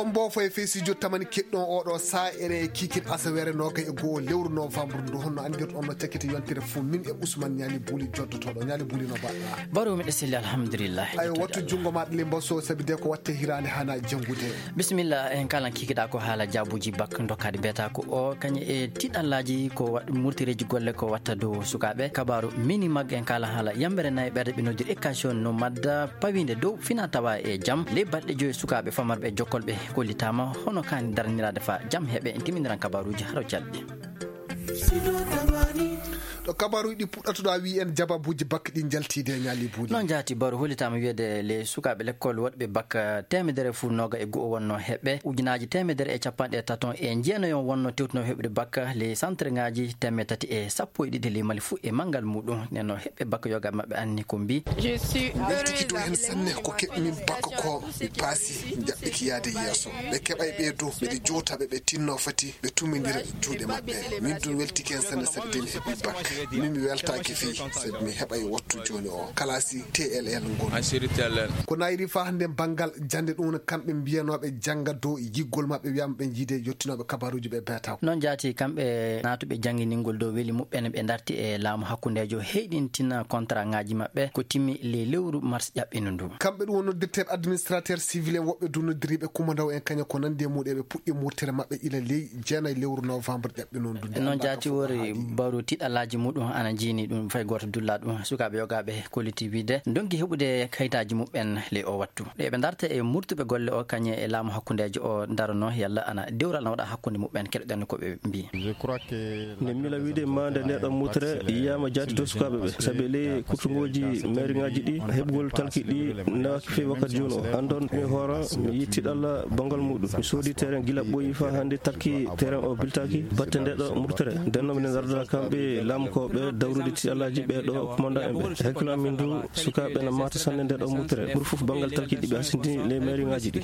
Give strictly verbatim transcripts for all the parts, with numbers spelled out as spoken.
On mboofo e fesijo tamani keɗɗon oɗo saa ene kiikin asaweere noga e goo lewru novembre ndu, honno anndirɗon no cakkiti yontere fof min e Ousmane Ñaali Buuli joddotooɗo. Ñaali Buuli, no mbaɗɗa? Baro miɗo selli, alhamdulillah. Ayo, wattu junngo maɗa le mbaso, sabi de ko watte hiraande hana janngude. Bisimilla, en kala kikiɗa ko haala jaabuji bak dokkaɗi mbiyata ko o kañe e tiɗallaji ko wa-, murtireji golle ko watta dow sukaaɓe. Kabaaru mini mag en kala haala yambere nayi ɓerde ɓe noddir éducation no madda pawinde dow fina tawa e jam. Ley balɗe joyi sukaaɓe famarɓe jokkolɓe kollitama hono kani darniraade fa jam heɓe en timiniran kabaaruji haro calɗi. Ɗo kabaaruji ɗi puɗɗata ɗo a wi en jababuji bak ɗi jaltide Ñaali Buuli. Noon jaati Baro, hollitaama wiyeede le sukaaɓe lekkol woɗɓe bak teemedere fu noga e go'o wonno heɓɓe, ujunaji teemedere e capanɗe taton e jeenayon wonno tewtuno heɓude bak le centre ngaji teemedde tati e sappo e ɗiɗi le Mali fu e manngal muɗum. Nenno heɓɓe bak yoga maɓɓe anni ko mbi. Weltiki dow hen sanne ko keɓmin bak ko mi paasi jaɓɓiki yaade yeeso. Ɓe keɓay ɓe dow, ɓeɗe jowtaɓe ɓe tinno fati ɓe tumindira juuɗe maɓɓe. Min ɗum weltiki hen sanne sabi de mi heɓi bak. Min mi weltaki fii sabi mi heɓay wattu jooni o. Kalasi T L L ngol. Ko nayri fa hannde banngal jannde ɗum kamɓe mbiyanooɓe jannga dow yiggol maɓɓe wiyama ɓe jiide yottinooɓe kabaruji ɓe beetaw. Noon jaati kamɓe naatuɓe jannginingol dow weli muɓɓen ɓe darti e laamu hakkundeejo heyɗintina contrat ngaji maɓɓe ko timmi le lewru mars ƴaɓɓino ndu. Kamɓe ɗum won noddirteeɓe administrateur civil en woɓɓe du noddiriiɓe kumandaw en kaña ko nandi e muɗum eɓe puɗɗi murtere maɓɓe ila ley jeenayi lewru novembre ƴaɓɓino ndu. Noon jaati wori baru tiɗalaji muɗum ana jiini ɗum fay gooto dulla ɗum. Sukaaɓe yogaaɓe kolliti wiide ndonki heɓude kayitaaji muɓɓen ley o wattu. Ɗe ɓe darta e murtuɓe golle o kañe e laamu hakkundeejo o darono yalla ana dewral na waɗa hakkunde muɓɓen keɗoɗen ko ɓe mbi. Nde mila wiide ma nde ndeɗo mutre yiyama jaati dow sukaaɓe ɓe. Sabi ley kurtungoji mairie ngaji ɗi heɓugol talki ɗi nawaki fewi wakkati jooni o. Andon mi hoora mi yitti ɗalla bangal muɗum. Mi soodi terrain gila ɓooyi fa hannde talki terrain o biltaki batte ndeɗo murtere. Ndenno mi darda kamɓe laamu ko ɓe dawrude tiɗalaji ɓe ɗo commandant en ɓe. Hakkillo min du sukaaɓe na mata sanne ndeɗo murtere. Ɓuri fof bangal talki ɗi ɓe hasindini ley mairie ngaji ɗi.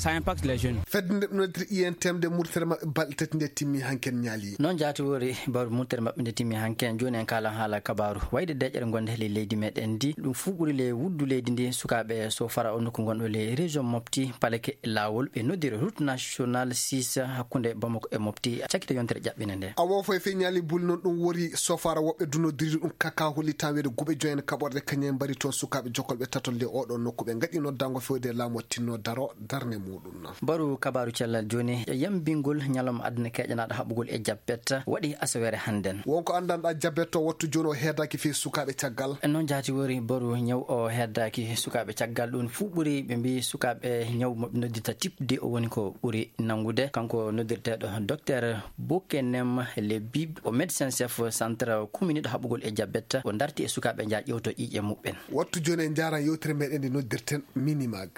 Fedde nde ɓe noddiri I N T M de murtere maɓɓe balɗe tati nde timmi hanken Ñaali. Noon jaati wori bawɗe murtere maɓɓe nde timmi hanken. Jooni en kalan haala kabaaru. Wayde deƴƴere gonde ley leydi meɗen ndi. Ɗum fuu ɓuri le wuddu leydi ndi sukaaɓe so fara o nokku gonɗo ley région Mopti, Paleke, Laawol, ɓe noddiri route nationale six hakkunde Bamako e Mopti. Cakkito yontere ƴaɓɓinde nde. Awo foy fe Ñaali Buuli noon ɗum wori sofara woɓɓe du noddiri ɗum kaka holli tan wede guɓe joyen kaɓorɗe kañum en mbari toon sukaaɓe jokolɓe tatol le oɗo nokku ɓe ngaɗi noddango fewde laamu tinno daro darne muɗum. Baru kabaaru cellal jooni, yambingol ñalawma aduna keƴanaaɗo haɓugol e jappet waɗi asaweere hannden. Wonko anndanɗaa jappet o wattu jooni o heedaaki fii sukaaɓe caggal. Noon jaati wori baru ñaw o heedaaki sukaaɓe caggal. Ɗum fuu ɓuri ɓe mbii sukaaɓe ñaw mo ɓe noddita type deux o woni ko ɓuri nanngude. Kanko noddirteeɗo docteur Bokenem Lebib o médecin chef centre communauté haɓugol e jappet o darti e sukaaɓe nja ƴewto ƴiiƴe muɓɓen. Wattu jooni en njaaran yewtere meɗen nde noddirten Minimag.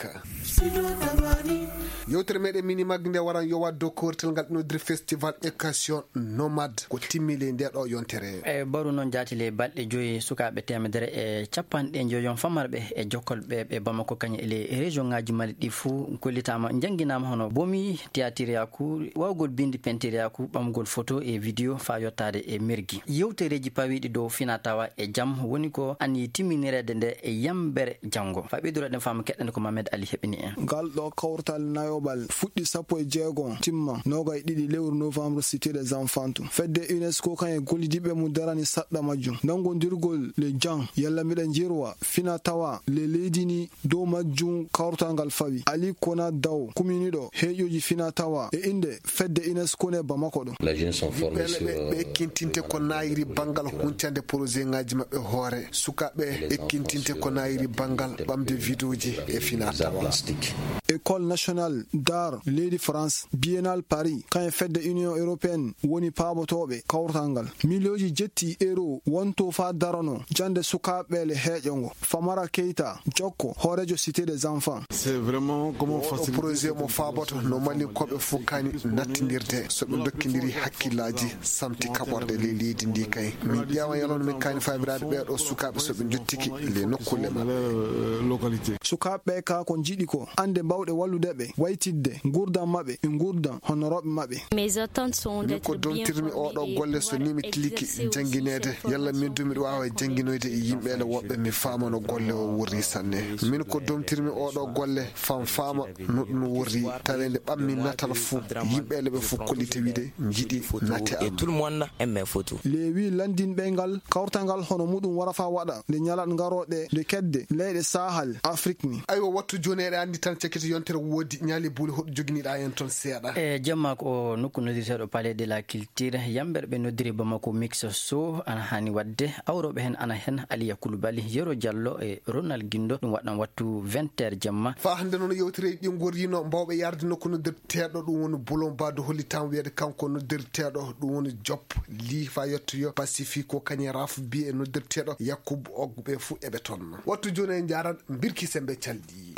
Yewtere meɗen Minimag nde waran yowaade dow kowrital ngal ɓe noddiri Festival Éducation Nomade ko timmi ley nde ɗo yontere. E baru noon jaati ley balɗe joyi sukaaɓe teemedere e capanɗe joyon famarɓe e jokkolɓe ɓe Bamako kañum e ley région ngaji Mali ɗi fuu kollitaama, njannginaama hono bomi, tiyatiriyaku, waawgol binndi, pentiriyaaku, ɓamgol foto e vidéo faa yottaade e mergi. Yewtereeji pawiiɗi dow fina tawa e jam woni ko anniyi timminireede nde e yambere janngo. Faa ɓeydureeɗen faamu keɗɗen ko Mamed Ali heɓini en. Ngal ɗo kawtal nayoɓal fuɗɗi sappo e jeego timma noga e ɗiɗi lewru novembre cité des enfants. Fedde UNESCO kañum e gollidiɓe mum darani saɗɗa majjum. Nanngondirgol le jang yalla miɗa jirwa fina tawa le leydi ni dow majjum kawtal ngal fawi. Ali Kona Daw, kuminiɗo heeƴoji fina tawa e innde fedde UNESCO ne Bamako ɗo. Ɓiɓɓe leɗɗe ɓe ekkintinte ko naayiri banngal huncande projet ngaji maɓɓe hoore. Sukaaɓe ekkintinte ko naayiri banngal ɓamde vidéoji e fina tawa. École nationale d'art leydi France, Biennale Paris, kañum fedde Union européenne woni paabotooɓe kawtal ngal. Miliyonji jetti euro wonto faa darano jannde sukaaɓe le heeƴo ngo. Famara Keita, jokko, hooreejo Cité des Enfants. C'est vraiment comment faciliter projet mo faaboto no Malinkooɓe fof kani nattindirde. So ɓe ndokkindiri hakkillaaji, samti kaɓorɗe ley leydi ndi kay. Min Yawan yalon min kani fabiraade ɓeeɗo sukaaɓe so ɓe njottiki le nokkulle maɓɓe. Sukaaɓe ɓe ka ko njiɗi ko annde mbawɗe wallude ɓe waytidde nguurndam maɓɓe e nguurndam honorooɓe maɓɓe. Min ko domtirmi oɗo golle so ni mi tiliki janngineede, yalla min du miɗo waawa jannginoyde e yimɓe ene woɓɓe mi faama no golle o wurri sanne. Min ko domtirmi oɗo golle fam faama no ɗum wurri, taweende ɓammi natal fuu, yimɓe ene ɓe fof kollite wiide njiɗi nate am. Tout le monde aime mes photos. Lewi landinɓe ngal kawrtangal hono muɗum wara fa waɗa nde ñalaɗ ngarooɗe nde kedde leyɗe Sahel Afrik ni. Aywa, wattu jooni eɗen anndi tan cakkiti yontere woodi ñaali buuli hoɗo joginiɗa en toon seeɗa. E jemma ko nokku noddirteeɗo Palais de la Culture, yamɓere ɓe noddiri Bamako Mix Show ana hani waɗde. Awroɓe hen ana hen Aliya Koulibaly, Yero Diallo e Ronald Guindo. Ɗum waɗan wattu vingt heures jemma. Fa hannde noon yewtere ɗi ngorrino mbawɓe yarde nokku noddirteeɗo ɗum woni Boulon Bado hollitaama wiyede kanko noddirteeɗo ɗum woni Job Li fa yettoyo Pacifico Kanye Raf bi e noddirteeɗo Yakubu Og ɓe fuu eɓe toon. Wattu jooni en njaaran mbirki sembe calɗi.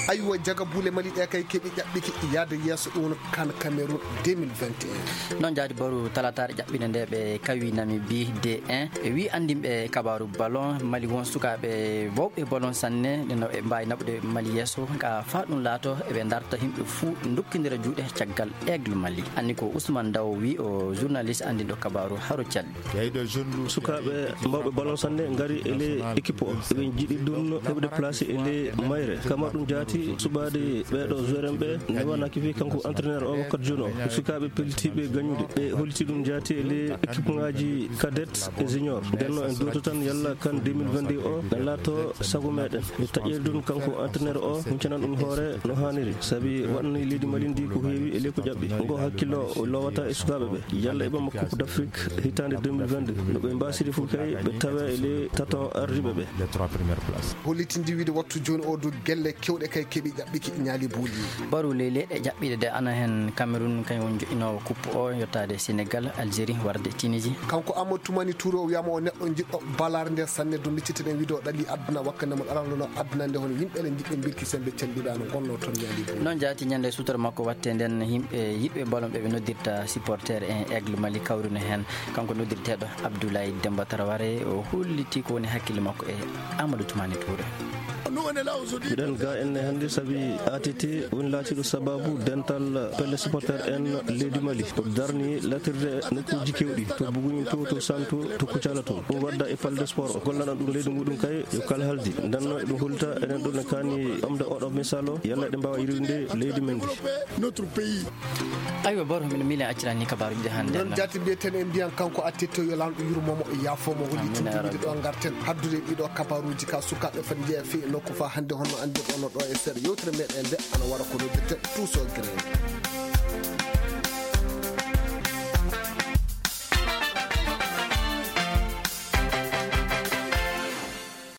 Aywa, jaga buule Mali ɗe kay keɓi ƴaɓɓiki yaade yeeso ɗum woni kan Cameroun deux mille vingt et un. Noon jaadi boru talataare ƴaɓɓinde nde ɓe kawi Namibie deux un. E wi anndinɓe kabaaru ballon Mali won sukaaɓe bawɓe ballon sanne, ɗe no ɓe mbaawi naɓude Mali yeeso ka faa ɗum laato eɓe darta yimɓe fuu dokkindira juuɗe caggal Aigle Mali. Anni ko Ousmane Daw wi o journaliste anndinɗo kabaaru haro calɗi. Sukaaɓe mawɓe ballon sanne ngari e ley équipe o. Ɓe njiɗi ɗum heɓde place e ley mayre. Kama ɗum jaati suɓaade ɓeeɗo joueur en ɓe newanaki fii kanko entraîneur o wakkati jooni o. Sukaaɓe pellitiiɓe gañude. Ɓe holliti ɗum jaati e ley équipe ŋaaji cadet e junior. Nden no en duwoto tan yalla kan deux mille vingt-deux o na laato sago meɗen. Mi taƴƴere ɗum kanko entraîneur o huncanan ɗum hoore no haaniri. Sabi waɗani leydi Mali ndi ko heewi e ley ko ƴaɓɓi. Ngo hakkillo o lowata e sukaaɓe ɓe. Yalla e ɓamma Coupe d'Afrique hitaande deux mille vingt-deux, no ɓe mbaasiri fof kay ɓe tawa e les tatons ardiiɓe ɓe. Hollitindi wiide wattu jooni o du gelle kewɗe kay keɓi ƴaɓɓiki ñaali buuli. Baru ley leyɗe ƴaɓɓiiɗe de ana heen Cameroun kañum woni joƴƴinoowo coupe o yottaade Sénégal, Algérie, warde Tunisie. Kanko Amadou Toumani Touré o wiyaama o neɗɗo jiɗɗo balaare nde sanne du micciteɗen wiide o ɗali aduna wakkande mon arano no aduna nde hono yimɓe ene njiɗɓe mbirki sembe calliɗa no gonno toon ñaali buuli. Noon jaati ñande suutora makko watte nden yimɓe yiɗɓe ballon ɓe ɓe noddirta supporter en Aigle Mali kawrino heen. Kanko noddirteeɗo Abdoulaye Demba Traoré o holliti ko woni hakkille makko e Amadou Toumani Touré. Miɗen ga enne hannde sabi A T T woni laatiiɗo sababu dental pelle supporter en leydi Mali. O darni latirde nokkuuji kewɗi to Buguñin to, to Santu, to Kucala to. Ɗum wadda e Palais de Sport. O gollana ɗum leydi muɗum kay yo kala haldi. Ndenno eɗum hollita enen ɗo ne kaani omde oɗo misalo, yalla eɗen mbaawa yirwinde leydi men ndi. Aywa, Baro, mino miilen accirani kabaaruuji ɗi hannde. Noon jaati mbiyeten en mbiyan kanko Attetto yo Laamɗo yurmo mo, yaafo mo, hollitinde wiide ɗo ngarten haddude ɗiɗo kabaaruuji ka sukaaɓe fati njeya fii e nokku fa hannde honno anndirɗon no ɗo e seeɗa yewtere meɗen nde ana wara ko noddirten Tuuso Green.